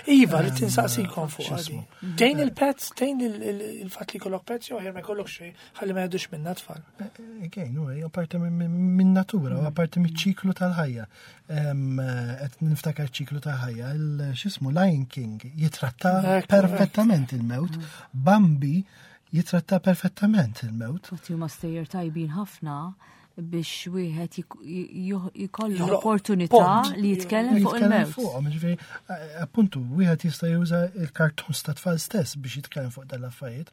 Iva, li tinsaqsikom fuq X'ismu? għadi. Tgħin il-pets, tgħin il- il- il-fatt li jkollok pets, jew ma jkollok xejn, ħalli ma jgħaddux minna tfal. Again, u hija parti minn minn natura, u parti mill-ċiklu tal-ħajja. Em, Qed niftakar ċiklu tal-ħajja, il- x'ismu Lion King jitratta Ekku, perfettament il-mewt, Bambi jitratta perfettament il-mewt. Infatti huma stejjer tajbin ħafna biex wieħed jik- jih- jkollu Joħloq l-opportunità pont. li jitkellem fuq Jitkellem il-mewt. fuqhom, ġifieri, eh, appuntu, wieħed jista' juża il-cartoons ta' tfal stess biex jitkellem fuq dal-affarijiet.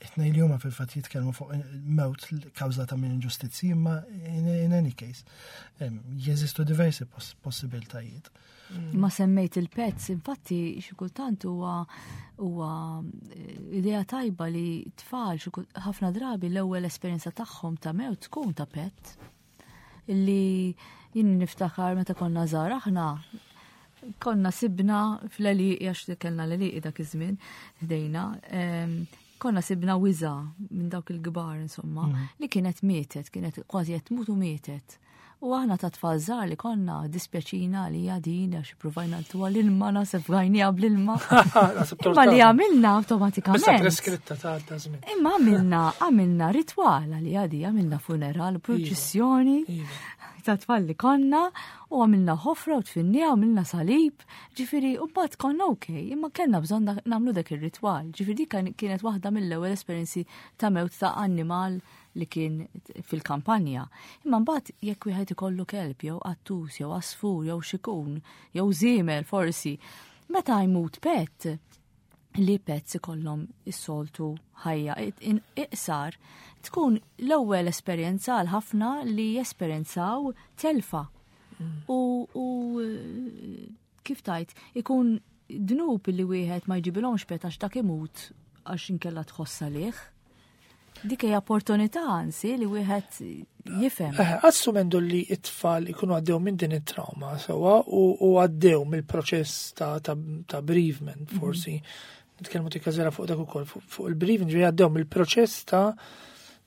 It-tnejn li huma fil-fatt jitkellmu fuq il-mewt kawżata minn inġustizzi, imma in, in any case, em, jeżistu diversi poss possibiltajiet. Ma semmejt il-pets, infatti xi kultant huwa huwa eh, idea tajba li tfal xi kul- ħafna drabi l-ewwel esperjenza tagħhom ta' mewt tkun ta' pet. Illi jien niftakar meta konna żgħar aħna konna sibna fl-għelieqi għax kellna l-għelieqi dak iż-żmien ħdejna, em, konna sibna wiża minn dawk il-kbar insomma, li kienet mietet, kienet kważi qed tmut u mietet. U aħna ta' tfal żgħar li konna dispjaċina li din għax provajna ntuha l-ilma naħseb għajnija bl-ilma. Naħseb Imma li tortata. għamilna Bissa awtomatikament. preskritta ta' ta' żmien. Imma għamilna għamilna ritwal li għadi, għamilna funeral, purċissjoni Iva. ta' tfal li konna u għamilna ħofra u dfinnija, għamilna salib, ġifieri, u mbagħad konna ok, imma kellna bżonn dak- nagħmlu dak ir-ritwal. Ġifieri dik kien- kienet waħda mill-ewwel esperjenzi ta' mewt ta' annimal li kien fil-kampanja. Imma mbagħad jekk wieħed ikollu kelb jew qattus jew għasfur jew xikun jew żiemel forsi, meta jmut pet, li pets ikollhom is-soltu ħajja in- iqsar tkun l-ewwel esperjenza għal ħafna li jesperjenzaw telfa. U, u eh, kif tajt, ikun dnub li wieħed ma jġibilhomx pet għax dak imut għax inkella tħoss għalih. Dik hija opportunità anzi li wieħed jifhem. Eh, Assumendu li it-tfal ikunu għaddew minn din it-trauma sewa u u għaddew mill-proċess ta', ta, ta' bereavement forsi. Nitkellmu tikka fuq dak ukoll fuq fuq il-bereavement ġifieri għaddew mill-proċess ta'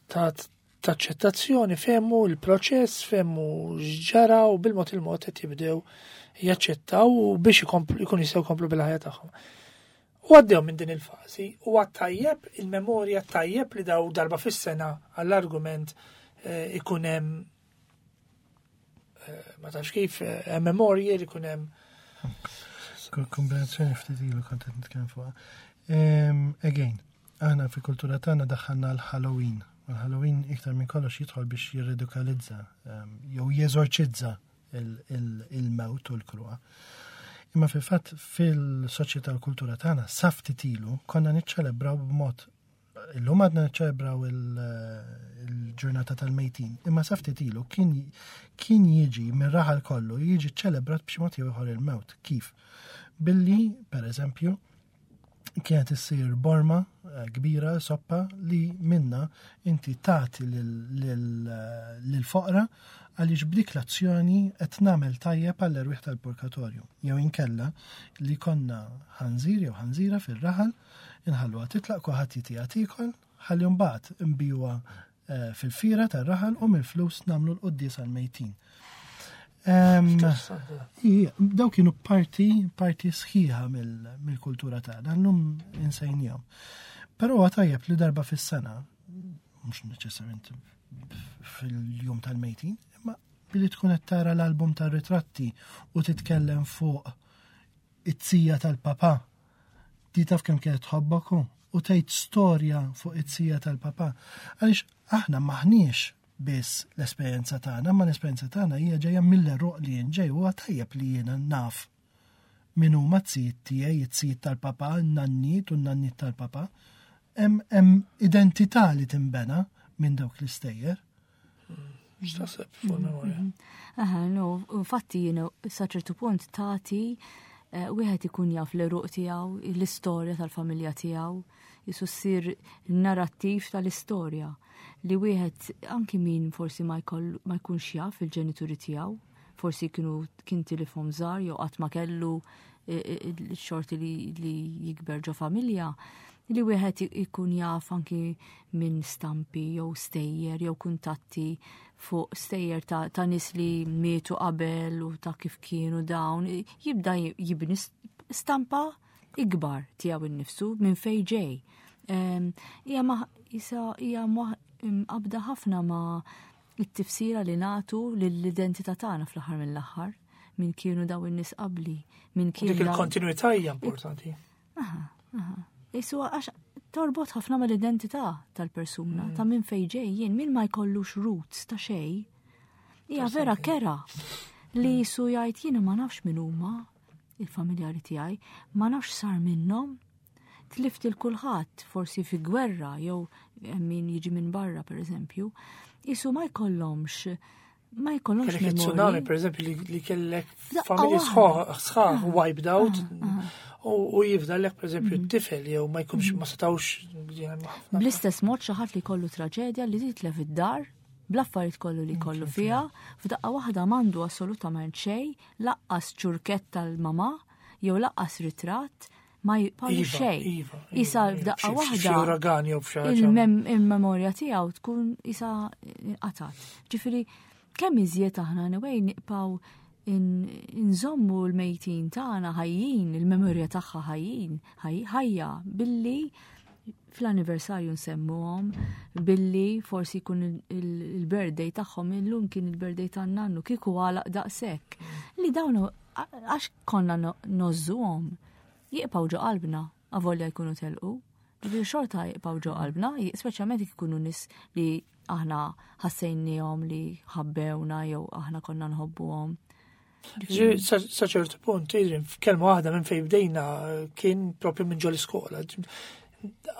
ta' ta' aċċettazzjoni, fehmu l-proċess, fehmu x'ġara u bil-mod il-mod qed jibdew jaċċettaw u biex ikomplu- ikun jistgħu jkomplu bil-ħajja tagħhom. U għaddew minn din il-fażi u għat-tajjeb, il-memorja tajjeb li daw darba fis-sena għall-argument eh, ikun hemm eh, ma tafx kif eh, memorji li ikun hemm Kombinazzjoni ftit ilu kont qed nitkellem fuqha. Em, Again, aħna fil-kultura tagħna daħħalna l-Halloween. U l-Halloween iktar minn kollox jidħol biex jirridikalizza em, jew jeżorċizza il- il- il-mewt u l-kruha. Imma fil-fatt fil-soċjetà u l-kultura tagħna sa ftit ilu konna niċċelebraw b'mod illum għadna niċċelebraw il- il-ġurnata tal-mejtin, imma sa ftit ilu kien kien jiġi minn raħal kollu jiġi ċelebrat b'xi mod jew ieħor il-mewt. Kif? Billi, per eżempju, kienet issir borma eh, kbira, soppa, li minna inti tagħti lil-foqra għaliex b'dik l-azzjoni qed nagħmel tajjeb għall-erwieħ tal-purgatorju. Jew inkella li konna ħanżir jew ħanżira fil-raħal, inħalluha titlaq kulħadd jitiha tiekol, ħalli mbagħad nbigħuha eh, fil-fira tar-raħal u mill-flus nagħmlu l-quddies għal-mejtin. Em, Ija, daw kienu parti, parti sħiħa mill- mill-kultura tagħna, llum insejnihom. Però huwa tajjeb li darba fis-sena, mhux neċessarjament fil-jum tal-mejtin, imma billi tkun qed tara l-album tar-ritratti u titkellem fuq it-tija tal-papa. Di taf kemm kienet tħobbok hu, u tgħid storja fuq it-tija tal-papa. Għaliex aħna maħniex biss l-esperjenza tagħna, ma l-esperjenza tagħna hija ġejja mill-eruq li jien ġej huwa tajjeb li jiena naf min huma t-zijiet tiegħi, it-zijiet tal-papa, n-nanniet u n-nanniet tal-papa. Hemm hemm identità li tinbena minn dawk l-istejjer. X'taħseb fuq il-memorja? Aha, no, infatti jiena sa ċertu punt tagħti eh, wieħed ikun jaf l-eruq tiegħu, l-istorja tal-familja tiegħu, Jisu ssir narrattiv tal-istorja li wieħed anki min forsi ma jkollu- ma jkunx jaf il-ġenituri tiegħu, forsi kienu kien tilifhom żgħar jew qatt ma kellu eh, eh, il-xorti li, li jikber ġo familja, li wieħed ikun jaf anki minn stampi jew stejjer jew kuntatti fuq stejjer ta', ta' nies li mietu qabel u ta' kif kienu dawn, jibda jibni stampa ikbar tiegħu innifsu minn fej ġej. Em, Hija ma isa hija mqabda ħafna ma' it-tifsira li nagħtu lill-identità tagħna fl-aħħar mill-aħħar, min kienu daw in-nies qabli, min Dik kienu daw- il-kontinuità hija importanti. Aha, aha. Isu għax torbot ħafna mal-identità tal-persuna, ta' minn fej ġej jien, min ma jkollux roots ta' xej. Hija vera kera li jisu jgħid jiena ma nafx min huma il-familjari tiegħi, ma nafx sar minnhom. Tlift il kulħadd forsi fi gwerra jew min jiġi minn barra per eżempju, jisu ma jkollhomx ma jkollhomx Kellek il-tsunami, memorji. per eżempju, li, li kellek F'daqqa familji waħda. sħaħ sħaħ wiped out u u jifdallek, per eżempju, t-tifel jew ma jkunx ma setawx ħafna. Bl-istess mod xi ħadd li kollu traġedja li titlef id-dar bl-affarijiet kollu li kollu fiha, f'daqqa waħda m'għandu assolutament xejn, lanqas ċurkett tal-mama jew lanqas ritratt, ma jibqalu Iva, xejn. iva, iva, Isa iva. f'daqqa Xi- xi- waħda Xi uragan jew f'xi ħaġa. il-mem- il-memorja tiegħu tkun isa qatat. Ġifieri kemm iżjed aħna anyway nibqgħu in- inżommu l-mejtin tagħna ħajjin, il-memorja tagħha ħajjin, ħaj- ħajja billi fl-anniversarju nsemmuhom, billi forsi jkun il- il- il-birthday tagħhom, illum kien il-birthday tan-nannu kieku għalaq daqshekk. Li dawn għax konna no- ngħożżuhom jibqgħu ġo qalbna avolja jkunu telqu. Ġifieri xorta jibqgħu ġo qalbna, speċjalment jekk ikunu nies li aħna ħassejniehom li ħabbewna jew aħna konna nħobbuhom. Ġifieri, Sa sa ċertu punt, Adrian, f'kelma waħda minn fejn bdejna eh, kien propju minn ġol iskola.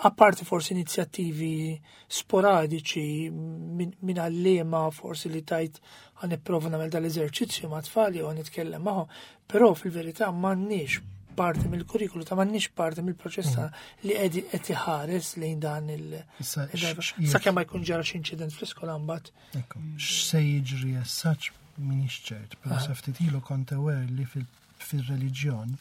Apparti forsi inizjattivi sporadiċi minn min għallima forsi li tajt ħa nipprova nagħmel dal-eżerċizzju ma' tfal jew nitkellem magħhom, però fil-verità m'għandniex parti mill-kurrikulu ta' m'għandniex parti mill-proċess ta' li qed qed iħares lejn dan il- Issa, il- x- x- Sakemm ma jkun ġara xi inċident fl-iskola mbagħad. Ekku, x'se jiġri as such minix ċert, pero sa ftit ilu kont aware li fil- fil-reliġjon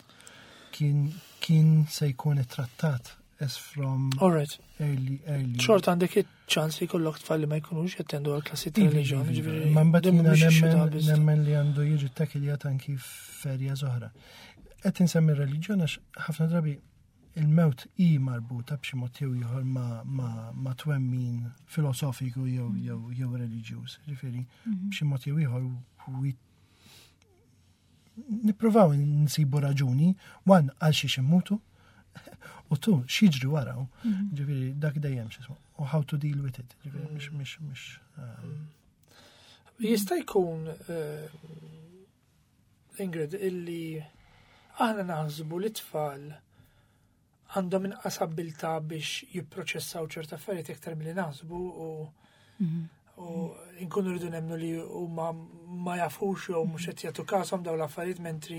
kien kien se jkun ittrattat as from All right. early early. Xorta għandek iċ-ċans li jkollok tfal li ma jkunux jattendu għal klassi ta' Iva, reliġjon. iva, ġifieri, Ma mbagħad din jiena mhix issue ta' nemmen biss. nemmen li għandu jiġi tackle-jat anki f'erja oħra. Qed insemmi r-reliġjon għax ħafna drabi il-mewt i marbuta b'xi mod jew ieħor ma, ma, ma twemmin filosofiku jew jew jew reliġjuż. Ġifieri b'xi mod jew ieħor we nippruvaw nsibu raġuni, one għal xiex immutu, u two x'jiġri waraw. Ġifieri dak dejjem x'ismu, u how to deal with it. Ġifieri mhix mhix mhix um, Jista' jkun eh, Ingrid illi aħna naħsbu li tfal għandhom inqas abbiltà biex jipproċessaw ċerta affarijiet iktar milli naħsbu u u nkunu rridu nemmnu li huma ma jafux jew mhux qed jagħtu każhom dawn l-affarijiet mentri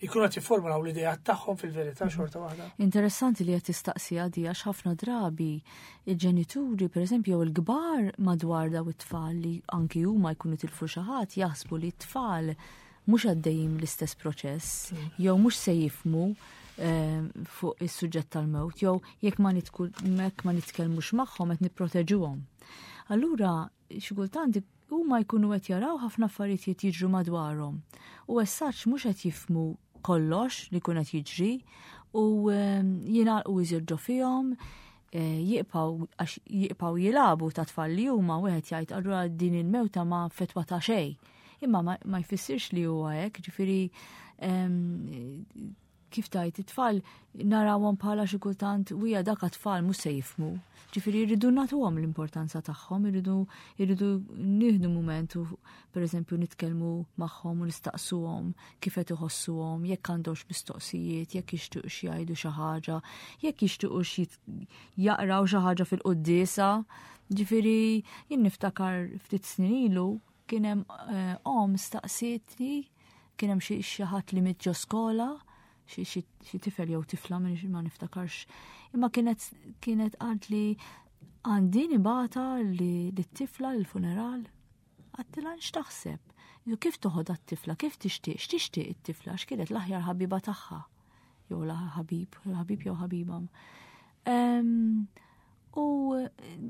jkunu qed jifformulaw l-idea tagħhom fil-verità xorta waħda. Interessanti li qed tistaqsi għadi għax ħafna drabi il-ġenituri, per eżempju, jew il-kbar madwar daw it-tfal li anki huma jkunu tilfu xi ħadd jaħsbu li t-tfal mhux għaddejjin l-istess proċess, jew mhux se jifhmu eh, fuq is-suġġett tal-mewt, jew jekk ma nitku- jekk ma nitkellmux magħhom qed nipproteġuhom. Allura, xi kultant huma jkunu qed jaraw ħafna affarijiet jiġru madwarhom. U as such mhux qed jifhmu kollox li kun qed jiġri u ehm, jingħalqu iżjed ġo fihom, eh, jibqgħu għax jibqgħu jilagħbu ta' tfal li huma wieħed jgħid allura din il-mewta ma fetwa ta' xejn. Imma ma, ma jfissirx li huwa hekk, ġifieri ehm, kif tajt it-tfal narawhom bħala xi kultant wija dak tfal mhux se jifhmu. Ġifieri jridu nagħtuhom l-importanza tagħhom, irridu irridu nieħdu mument u pereżempju nitkellmu magħhom u nistaqsuhom kif qed iħossuhom, jekk għandhomx mistoqsijiet, jekk jixtiequx jgħidu xi ħaġa, jekk jixtiequx jit- jaqraw xi ħaġa fil-quddiesa. Ġifieri jien niftakar ftit snin ilu kien hemm eh, om staqsietni kien hemm xi xi ħadd li miet ġo skola, Xi tifel jew tifla, ma niftakarx. Imma kienet kienet qalt li għandi nibgħatha li t-tifla l-funeral. Għedtilha, "X'taħseb? Kif toħodha t-tifla, kif tixtieq, x'tixtieq it-tifla?" X'kienet l-aħjar ħabiba tagħha. Jew la ħabib, ħabib jew ħabiba. U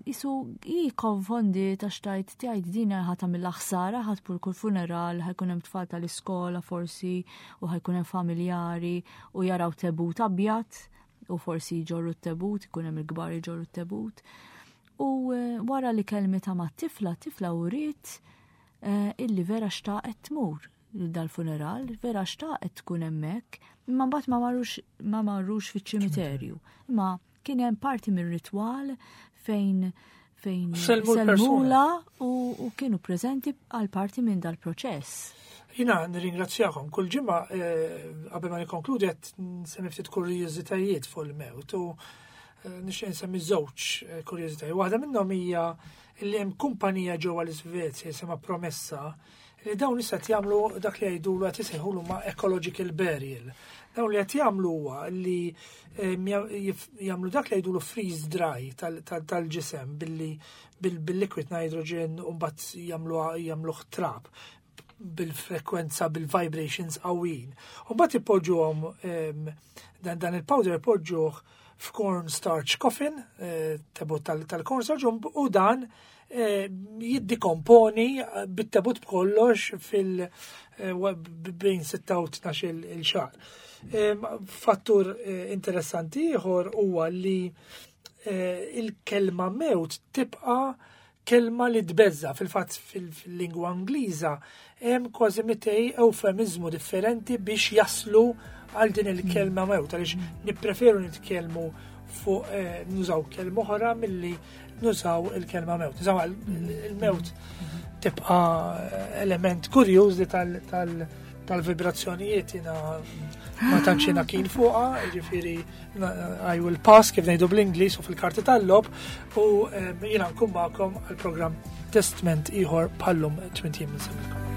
jisu i konfondi ta' xtajt tgħid din ħa tagħmilha ħsara, ħa tmur kull funeral, ħa jkun hemm tfal tal-iskola forsi u ħa jkun hemm familjari u jaraw tebut abjad u forsi jġorru t-tebut, ikun hemm il-kbar jġorru t-tebut. U eh, wara li kellmitha ma' tifla, tifla uriet eh, illi vera xtaqet tmur dal-funeral, vera xtaqet tkun hemmhekk, imma mbagħad ma marrux ma marrux fiċ-ċimiterju. Imma kien hemm parti mir-ritwal fejn fejn sellmulha u, u kienu preżenti għal parti minn dal-proċess. Jiena nirringrazzjakom. Kull ġimgħa, eh, qabel ma nikkonkludi, qed nsemmi ftit kurjużitajiet fuq il-mewt u eh, nixtieq nsemmi żewġ eh, kurjużitajiet. Waħda minnhom hija li hemm kumpanija ġewwa l-Iżvezja jisimha Promessa, li dawn issa jagħmlu dak li jgħidulu, qed isejħulu ma' ecological burial. Dawn li qed jagħmlu huwa li jagħmlu dak li jgħidulu freeze dry tal-ġisem billi bil-liquid nitrogen u mbagħad jagħmlu jagħmluh trab bil-frekwenza, bil-vibrations qawwin. U mbagħad ipoġġuhom dan dan il-powder ipoġġuh f'corn starch coffin, eh, tebut tal-corn starch, u dan eh, jiddikomponi bit-tebut b'kollox fil eh, bejn sitta u tnax il xahar. Fattur interessanti ieħor huwa li il-kelma mewt tibqa' kelma li tbeżża'. Fil-fatt, fil-lingwa Ingliża hemm kważi mitej eufemizmu differenti biex jaslu għal din il-kelma mewt, għaliex nippreferu nitkellmu fuq eh, nużaw kelma oħra milli nużaw il-kelma mewt. Nużaw il-mewt tibqa element kurjuż li tal-vibrazzjonijiet jiena ma tantx jiena keen fuqha, jiġifieri I will pass, kif ngħidu bl-Ingliż u fil-karti tal-logħob, u eh, jiena nkun magħkom għal-programm Testment ieħor bħal-lum tmint ijiem. Insellmilkom.